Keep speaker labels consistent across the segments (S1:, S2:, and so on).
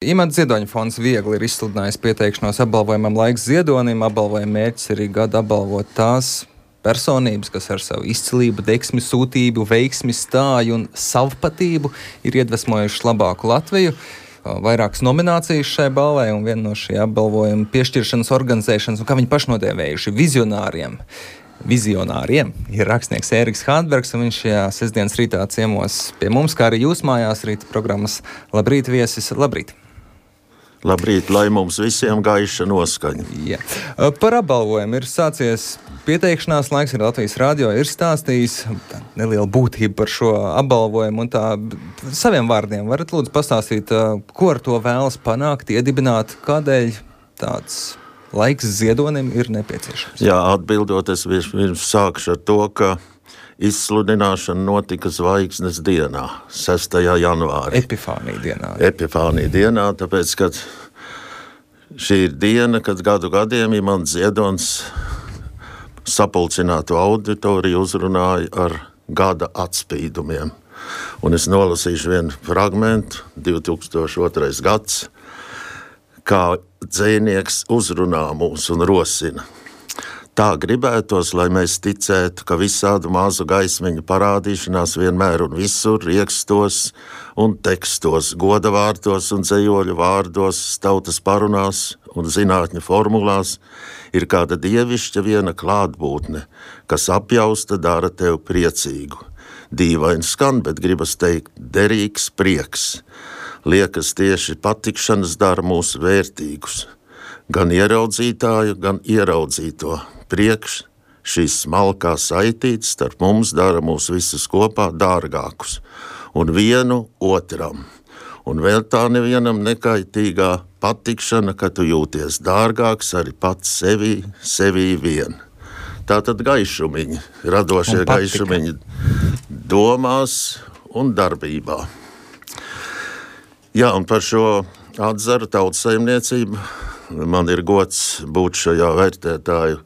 S1: Imants Ziedoņa fonds viegli ir izsludinājis pieteikšanos apbalvojumam Laiks Ziedonim. Apbalvojuma mērķis arī gadu apbalvot tās personības, kas ar savu izcilību, deksmi, sūtību, veiksmi, stāju un savpatību ir iedvesmojuši labāku Latviju. Vairākas nominācijas šai balvai un viena no šī apbalvojuma piešķiršanas organizēšanas, un kā viņi pašnodēvējuši vizionāriem ir rakstnieks Ēriks Hānbergs, un viņš šajā sestdienas rītā ciemos pie mums, kā arī jūs mājās rīta programmas Labrīt viesis. Labrīt!
S2: Labrīt, lai mums visiem gaiša noskaņa.
S1: Jā. Par apbalvojumu ir sācies pieteikšanās laiks, ir Latvijas radio, ir stāstījis nelielu būtību par šo apbalvojumu, un tā saviem vārdiem varat lūdzu pastāstīt, ko ar to vēlas panākt, iedibināt, kādēļ tāds Laiks Ziedonim ir nepieciešams?
S2: Jā, atbildot, es vispirms sākšu ar to, ka izsludināšana notika Zvaigznes dienā, 6. janvārī. Epifānija dienā, tāpēc, ka šī ir diena, kad gadiem Imants Ziedonis sapulcinātu auditoriju uzrunāja ar gada atspīdumiem. Un es nolasīšu vienu fragmentu, 2002. gads, kā dzejnieks uzrunā mūs un rosina. Tā gribētos, lai mēs ticētu, ka visādu mazu gaismiņu parādīšanās vienmēr un visur riekstos un tekstos, godavārdos un dzejoļu vārdos, tautas parunās un zinātņu formulās ir kāda dievišķa viena klātbūtne, kas apjausta dara tev priecīgu. Dīvaini skan, bet gribas teikt derīgs prieks. Liekas tieši patikšanas dara mūs vērtīgus. Gan ieraudzītāju, gan ieraudzīto. Priekš šīs smalkā saitītes starp mums dara mūs visus kopā dārgākus. Un vienu otram. Un vēl tā nevienam nekaitīgā patikšana, ka tu jūties dārgāks arī pats sevī vien. Tātad gaišumiņi, radošie gaišumiņi domās un darbībā. Jā, un par šo atzaru tautsaimniecību man ir gods būt šajā vērtētāju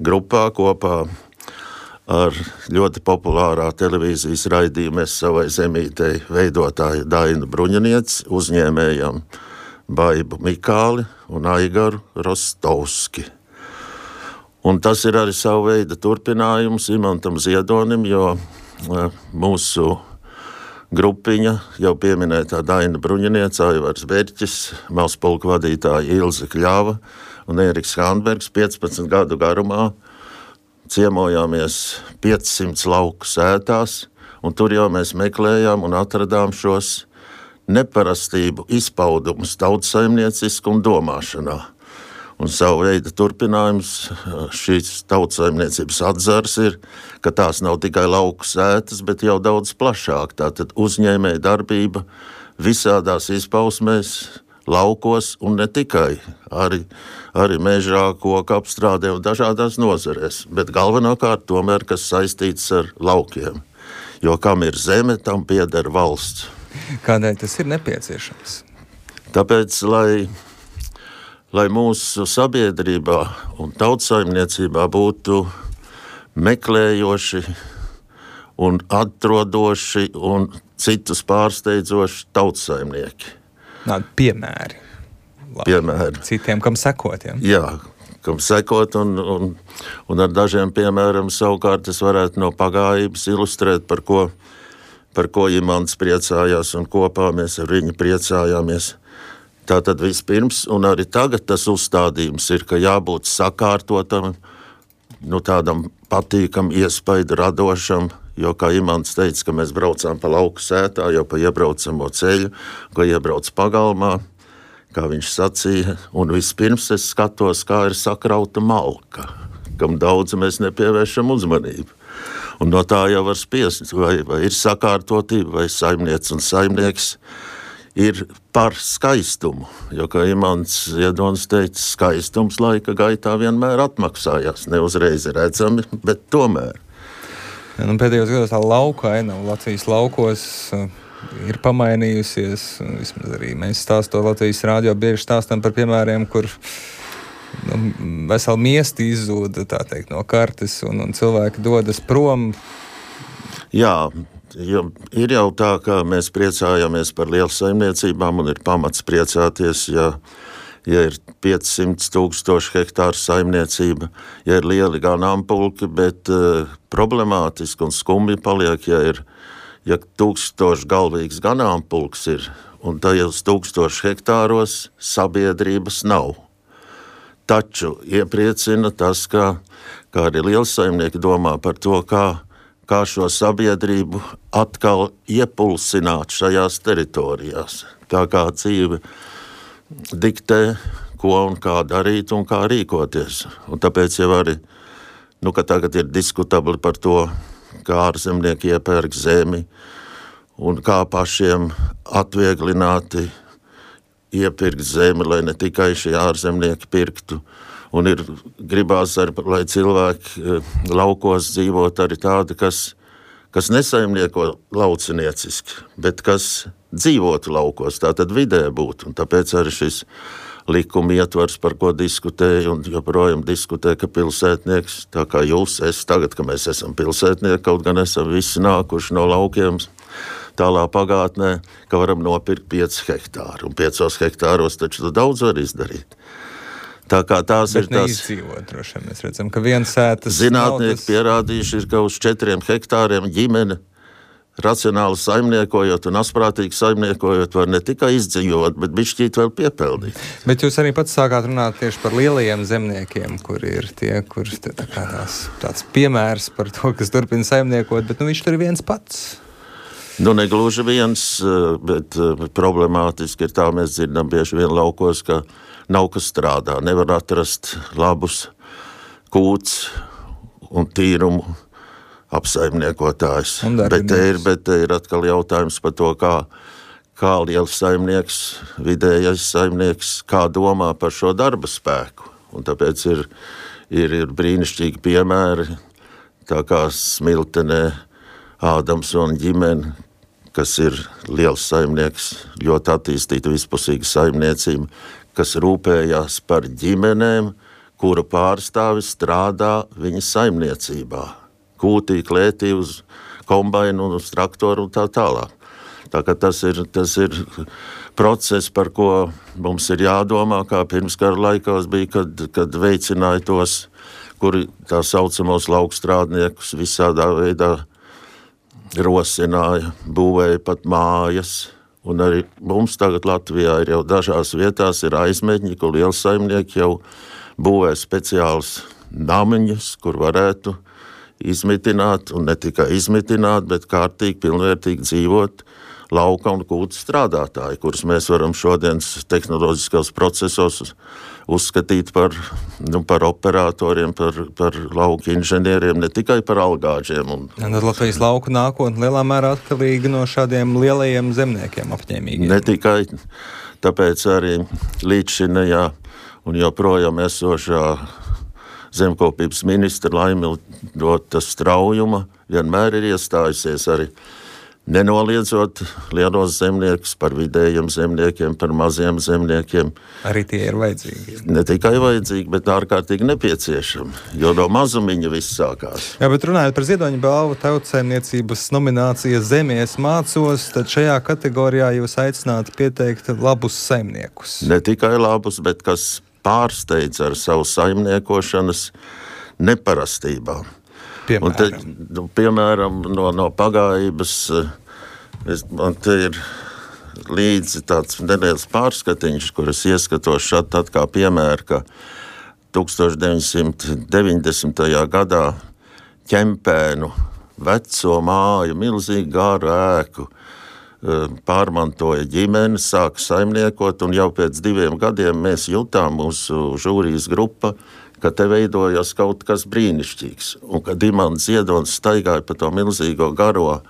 S2: grupā kopā ar ļoti populārā televīzijas raidījuma Es savai zemītei veidotāju Dainu Bruņinieci, uzņēmējam Baibu Mikāli un Aigaru Rostovski. Un tas ir arī savu veidu turpinājums Imantam Ziedonim, jo mūsu grupiņa, jau pieminētā Daina Bruņiniece, Aivars Berķis, Malspulka vadītāja Ilze Kļava un Ēriks Hānbergs 15 gadu garumā ciemojāmies 500 lauku sētās, un tur jau mēs meklējām un atradām šos neparastību izpaudumus tautsaimniecisku un domāšanā. Un savu veidu turpinājums šīs tautsaimniecības atzars ir, ka tās nav tikai lauku sētas, bet jau daudz plašāk. Tātad uzņēmēja darbība visādās izpausmēs, laukos un ne tikai, arī mežā, koku apstrādē un dažādās nozarēs, bet galvenokārt tomēr, kas saistīts ar laukiem. Jo kam ir zeme, tam pieder valsts.
S1: Kādēļ tas ir nepieciešams?
S2: Tāpēc, lai mūsu sabiedrībā un tautsaimniecībā būtu meklējoši un atrodoši un citus pārsteidzoši tautsaimnieki.
S1: Piemēri.
S2: Piemēri.
S1: Citiem, kam sekot, ja?
S2: Jā, kam sekot, un ar dažiem piemēram savukārt es varētu no pagājības ilustrēt, par ko Imants priecājās, un kopā mēs ar viņu priecājāmies. Tātad vispirms, un arī tagad tas uzstādījums ir, ka jābūt sakārtotam, tādam patīkam, iespaidu radošam, jo, kā Imants teica, ka mēs braucām pa lauku sētā, jau pa iebraucamo ceļu, ko iebrauc pagalmā, kā viņš sacīja, un vispirms es skatos, kā ir sakrauta malka, kam daudz mēs nepievēršam uzmanību. Un no tā jau var spiest, vai ir sakārtotība, vai saimniec un saimnieks ir par skaistumu, jo, kā Imants Ziedonis teica, skaistums laika gaitā vienmēr atmaksājās, ne uzreiz redzami, bet tomēr.
S1: Pēdējos gados tā lauka aina Latvijas laukos ir pamainījusies, vismaz arī mēs stāstot Latvijas radio bieži stāstam par piemēriem, kur veseli miesti izzūda, tā teikt, no kartes un cilvēki dodas prom.
S2: Jā, ir jau tā, ka mēs priecājamies par lielu saimniecībām un ir pamats priecāties, ja ir 500,000 hektāru saimniecība, ja ir lieli ganāmpulki, bet problemātiski un skumji paliek, ja 1000 galvīgs ganāmpulks ir, un tajos 1000 hektāros sabiedrības nav. Taču iepriecina tas, ka arī lielsaimnieki domā par to, kā šo sabiedrību atkal iepulsināt šajās teritorijās. Tā kā dzīve diktē, ko un kā darīt un kā rīkoties. Un tāpēc jau arī, ka tagad ir diskutabli par to, kā ārzemnieki iepērk zemi un kā pašiem atvieglināti iepirkt zemi, lai ne tikai šie ārzemnieki pirktu. Un gribās, lai cilvēki laukos dzīvot arī tādi, kas nesaimnieko laucinieciski, bet kas dzīvotu laukos, tātad vidē būtu. Un tāpēc arī šis likuma ietvars, par ko diskutēja un joprojām diskutē, ka pilsētnieks, tā kā jūs, tagad, ka mēs esam pilsētnieki, kaut gan esam visi nākuši no laukiem tālā pagātnē, ka varam nopirkt 5 hektāru. Un 5 hektāros taču daudz var izdarīt. Tā kā tās ir tās...
S1: Neizdzīvot, droši vien. Mēs redzam, ka viens sētas...
S2: Zinātnieki pierādījuši, ka uz 4 hektāriem ģimene racionāli saimniekojot un asprātīgi saimniekojot var ne tikai izdzīvot, bet bišķīt vēl piepeldīt.
S1: Bet jūs arī pats sākāt runāt tieši par lielajiem zemniekiem, kuri ir tie, kurš tāds piemērs par to, kas turpina saimniekot, bet viņš tur ir viens pats.
S2: Negluži viens, bet problemātiski ir tā, mēs dzirdam bieži vien laukos, ka nav kas strādā, nevar atrast labus kūts un tīrumu apsaimniekotājs. Bet te ir atkal jautājums par to, kā liels saimnieks, vidējais saimnieks, kā domā par šo darba spēku. Un tāpēc ir brīnišķīgi piemēri, tā kā Smiltenē Ādams un ģimene, kas ir liels saimnieks, ļoti attīstīta vispusīga saimniecība, kas rūpējās par ģimenēm, kuru pārstāvi strādā viņa saimniecībā. Kūtī, klētī, uz kombainu, uz traktoru un tā tālāk. Tā kā tas ir process, par ko mums ir jādomā, kā pirmskara laikos bija, kad veicināja tos, kuri tā saucamos laukstrādniekus visādā veidā rosināja, būvēja pat mājas. Un arī mums tagad Latvijā ir jau dažās vietās ir aizmeņi, kur lielsaimnieki jau būvē speciāls namiņus, kur varētu izmitināt, un ne tikai izmitināt, bet kārtīgi, pilnvērtīgi dzīvot lauka un kūtu strādātāji, kurus mēs varam šodienas tehnoloģiskos procesos uzskatīt par operatoriem, par lauku inženieriem, ne tikai par algāģiem.
S1: Tad Latvijas lauku nākotne lielā mērā atkarīga no šādiem lielajiem zemniekiem apņēmīgiem.
S2: Ne tikai, tāpēc arī līdzšinējā un joprojām esošā zemkopības ministra Laimilda Straujuma vienmēr ir iestājusies arī nenoliedzot lielos zemniekus par vidējiem zemniekiem, par maziem zemniekiem.
S1: Arī tie ir vajadzīgi.
S2: Ne tikai vajadzīgi, bet ārkārtīgi nepieciešami, jo no mazumiņa viss sākās.
S1: Jā, bet runājot par Ziedoņa balvu tautsaimniecības nominācijas Zemies mācos, tad šajā kategorijā jūs aicinātu pieteikt labus saimniekus.
S2: Ne tikai labus, bet kas pārsteidz ar savu saimniekošanas neparastībām. Piemēram, no pagājības man te ir līdzi tāds nedēļas pārskatiņš, kuras ieskatos šad tad kā piemēru, ka 1990. gadā Ķempēnu veco māju, milzīgi gāru ēku pārmantoja ģimene, sāka saimniekot, un jau pēc 2 gadiem mēs jutām mūsu žūrijas grupa, ka te veidojas kaut kas brīnišķīgs. Un kad Imants Ziedonis staigāja pa to milzīgo garo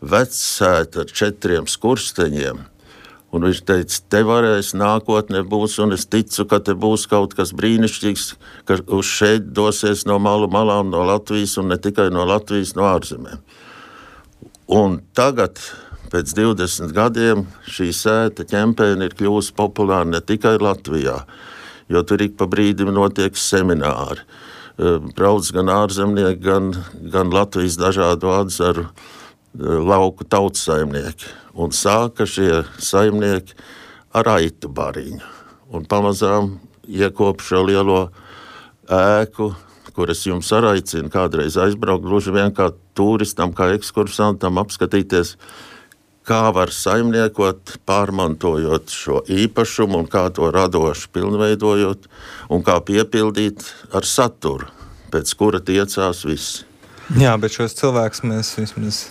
S2: vecsētu ar 4 skursteņiem, un viņš teica, te varēs nākotnē būs, un es ticu, ka te būs kaut kas brīnišķīgs, ka uz šeit dosies no malu malām, no Latvijas, un ne tikai no Latvijas, no ārzemēm. Un tagad, pēc 20 gadiem, šī sēta Ķempēna ir kļūst populāra ne tikai Latvijā, jo tur ik pa brīdim notiek semināri. Brauc gan ārzemnieki, gan Latvijas dažādu atzaru lauku tautsaimnieki. Un sāka šie saimnieki ar aitu bariņu. Un pamazām iekop šo lielo ēku, kuras jums arī aicina kādreiz aizbraukt, gluži vien kā turistam, kā ekskursantam apskatīties, kā var saimniekot, pārmantojot šo īpašumu un kā to radoši pilnveidojot un kā piepildīt ar saturu, pēc kura tiecās visi.
S1: Jā, bet šos cilvēkus mēs vismaz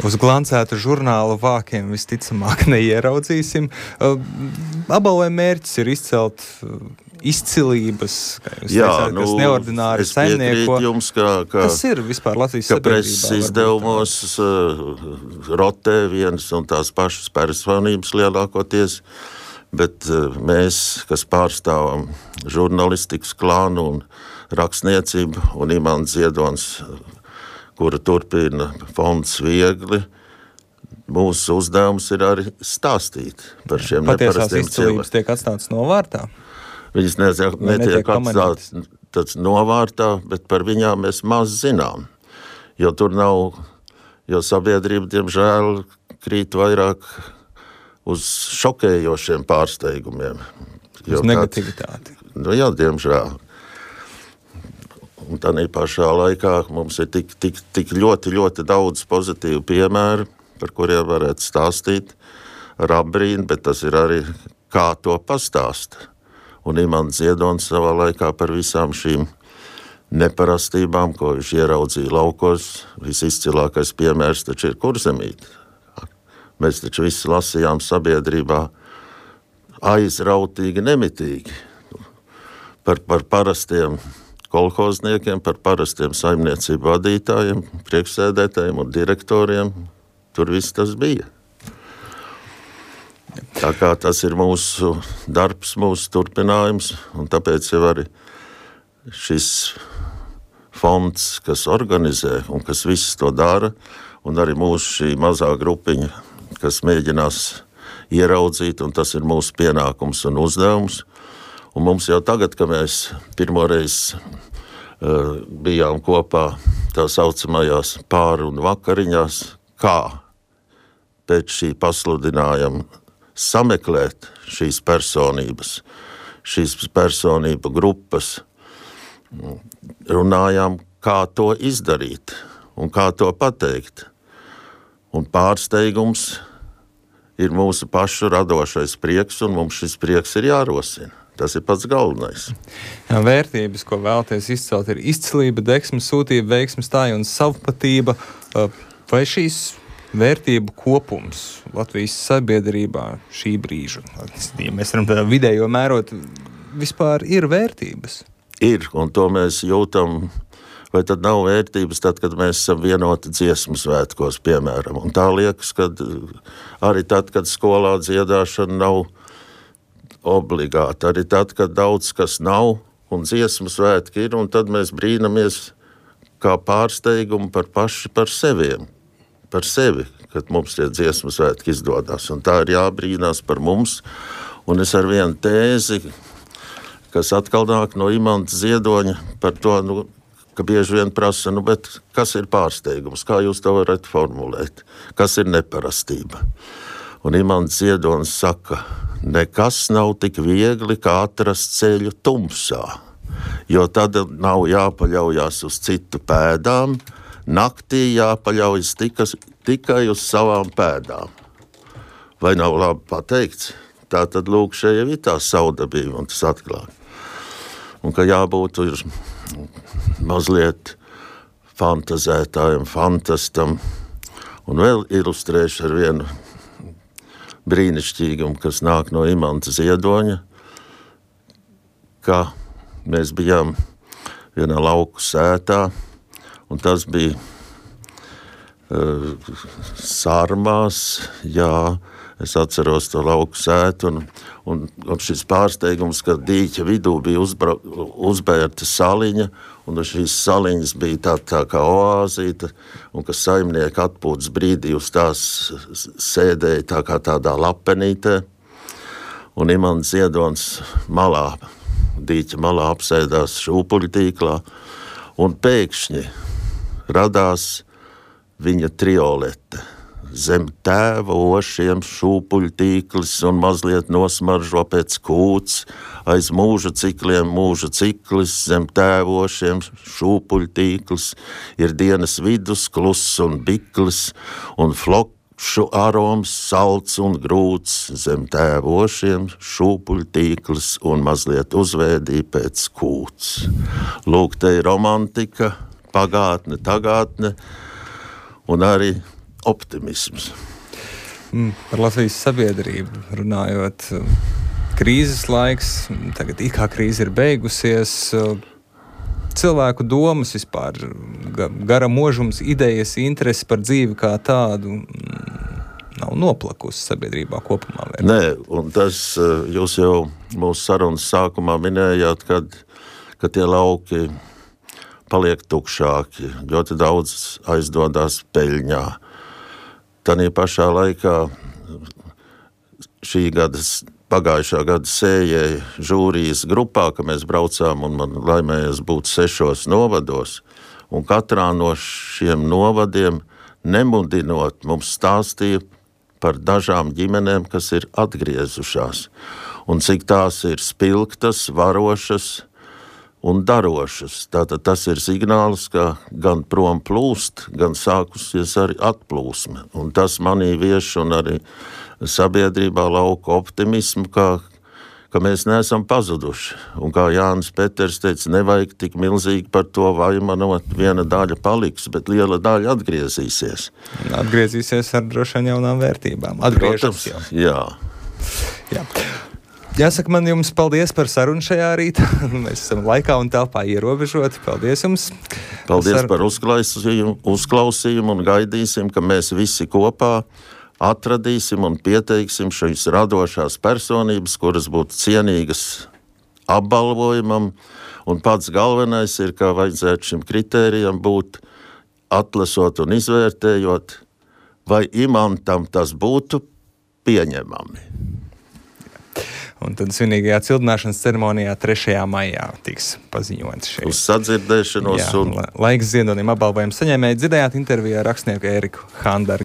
S1: uz glancētu žurnālu vākiem visticamāk neieraudzīsim. Apbalvojuma mērķis ir izcelt izcilības, kā jūs teicāt, kas neordināri saimnieko.
S2: Jums, kas
S1: ir vispār Latvijas sabiedrībā?
S2: Ka preses izdevumos rotē vienas un tās pašas personības lielākoties, bet mēs, kas pārstāvam žurnalistikas klānu un rakstniecību, un Imants Ziedonis, kura turpina fonds Viegli, mūsu uzdevums ir arī stāstīt par šiem neparastiem cilvēkiem.
S1: Patiesās izcilības tiek atstātas novārtā?
S2: Viņas netiek atstātas novārtā, bet par viņām mēs maz zinām. Jo tur nav, jo sabiedrība, diemžēl, krīt vairāk uz šokējošiem pārsteigumiem.
S1: Uz negativitāti.
S2: Jā, diemžēl. Un tādā pašā laikā mums ir tik ļoti daudz pozitīvu piemēru, par kuriem varētu stāstīt ar apbrīnu, bet tas ir arī kā to pastāst. Un Imants Ziedonis savā laikā par visām šīm neparastībām, ko viņš ieraudzīja laukos, visizcilākais piemērs taču ir Kurzemīte. Mēs taču visi lasījām sabiedrībā aizrautīgi, nemitīgi par parastiem kolhozniekiem, par parastiem saimniecību vadītājiem, priekšsēdētājiem un direktoriem. Tur viss tas bija. Tā kā tas ir mūsu darbs, mūsu turpinājums, un tāpēc jau arī šis fonds, kas organizē un kas viss to dara, un arī mūsu šī mazā grupiņa, kas mēģinās ieraudzīt, un tas ir mūsu pienākums un uzdevums. Un mums jau tagad, ka mēs pirmoreiz bijām kopā tā saucamajās pāru un vakariņās, kā pēc šī pasludinājuma sameklēt šīs personības, šīs personību grupas, runājām, kā to izdarīt un kā to pateikt. Un pārsteigums ir mūsu pašu radošais prieks, un mums šis prieks ir jārosina. Tas ir pats galvenais.
S1: Jā, vērtības, ko vēlaties izcelt, ir izcilība, deksme, sūtība, veiksme, stāja un savpatība. Vai šīs vērtību kopums Latvijas sabiedrībā šī brīža, ja mēs varam tādā vidējo mērot, vispār ir vērtības?
S2: Ir, un to mēs jūtam. Vai tad nav vērtības tad, kad mēs esam vienoti dziesmu svētkos, piemēram? Un tā liekas, ka arī tad, kad skolā dziedāšana nav obligāti. Arī tad, kad daudz kas nav un dziesmu svētki ir, un tad mēs brīnamies kā pārsteigumu par sevi, kad mums tie dziesmu svētki izdodas. Un tā ir jābrīnās par mums. Un es ar vienu tēzi, kas atkal nāk no Imanta Ziedoņa par to, ka bieži vien prasa, bet kas ir pārsteigums, kā jūs to varat formulēt, kas ir neparastība. Un Imants Ziedonis saka, nekas nav tik viegli, kā atrast ceļu tumsā, jo tad nav jāpaļaujas uz citu pēdām, naktī jāpaļaujas tikai uz savām pēdām. Vai nav labi pateikts? Tā tad lūk, šeit ir tā saudabība un tas atklāja. Un ka jābūt ir mazliet fantazētājam, fantastam, un vēl ilustrēšu ar vienu brīnišķīgumu, kas nāk no Imanta Ziedoņa, ka mēs bijām vienā lauku sētā, un tas bija Sārmās, jā, es atceros to lauku sētu, un šis pārsteigums, ka dīķa vidū bija uzbērta saliņa, un šīs saliņas bija tā kā oāzīta, un ka saimnieki atpūtas brīdī uz tās sēdēja tā kā tādā lapenītē, un Imants Ziedonis dīķa malā apsēdās šūpuļu tīklā, un pēkšņi radās viņa triolete. Zem tēva ošiem šūpuļtīklis un mazliet nosmaržo pēc kūts, aiz mūža cikliem mūža ciklis, zem tēva ošiem šūpuļtīklis, ir dienas vidus kluss un biklis, un flokšu aroms salds un grūts, zem tēva ošiem šūpuļtīklis un mazliet uzvēdī pēc kūts. Lūk, te ir romantika, pagātne, tagadne un arī optimisms.
S1: Par Latvijas sabiedrību runājot, krīzes laiks, tagad it kā krīze ir beigusies, cilvēku domas vispār, gara mūžums, idejas, interesi par dzīvi kā tādu nav noplakusi sabiedrībā kopumā.
S2: Nē, un tas jūs jau mūsu sarunas sākumā minējāt, kad tie lauki paliek tukšāki, ļoti daudz aizdodās peļņā. Tanī pašā laikā pagājušā gada sējēja žūrijas grupā, ka mēs braucām un man laimējies būt 6 novados, un katrā no šiem novadiem nemudinot mums stāstīja par dažām ģimenēm, kas ir atgriezušās, un cik tās ir spilgtas, varošas un darošas. Tātad tas ir signāls, ka gan prom plūst, gan sākusies arī atplūsme. Un tas manī vieš un arī sabiedrībā lauka optimismu, ka mēs neesam pazuduši. Un kā Jānis Peters teica, nevajag tik milzīgi par to vaimanot, viena daļa paliks, bet liela daļa atgriezīsies.
S1: Atgriezīsies ar droši vien jaunām vērtībām. Atgriežams jau. Jā. Jāsaka man jums paldies par sarunu šajā rītā. Mēs esam laikā un telpā ierobežoti. Paldies jums.
S2: Paldies par uzklausījumu un gaidīsim, ka mēs visi kopā atradīsim un pieteiksim šīs radošās personības, kuras būtu cienīgas apbalvojumam. Un pats galvenais ir, ka vajadzētu šim kritērijam būt atlasot un izvērtējot, vai imantam tas būtu pieņemami.
S1: Un tad svinīgajā cildināšanas ceremonijā 3. maijā tiks paziņots šeit.
S2: Uz sadzirdēšanos.
S1: Laiks Ziedonim apbalvojumu saņēmēji dzirdējāt intervijā ar rakstnieku Ēriku Handargu.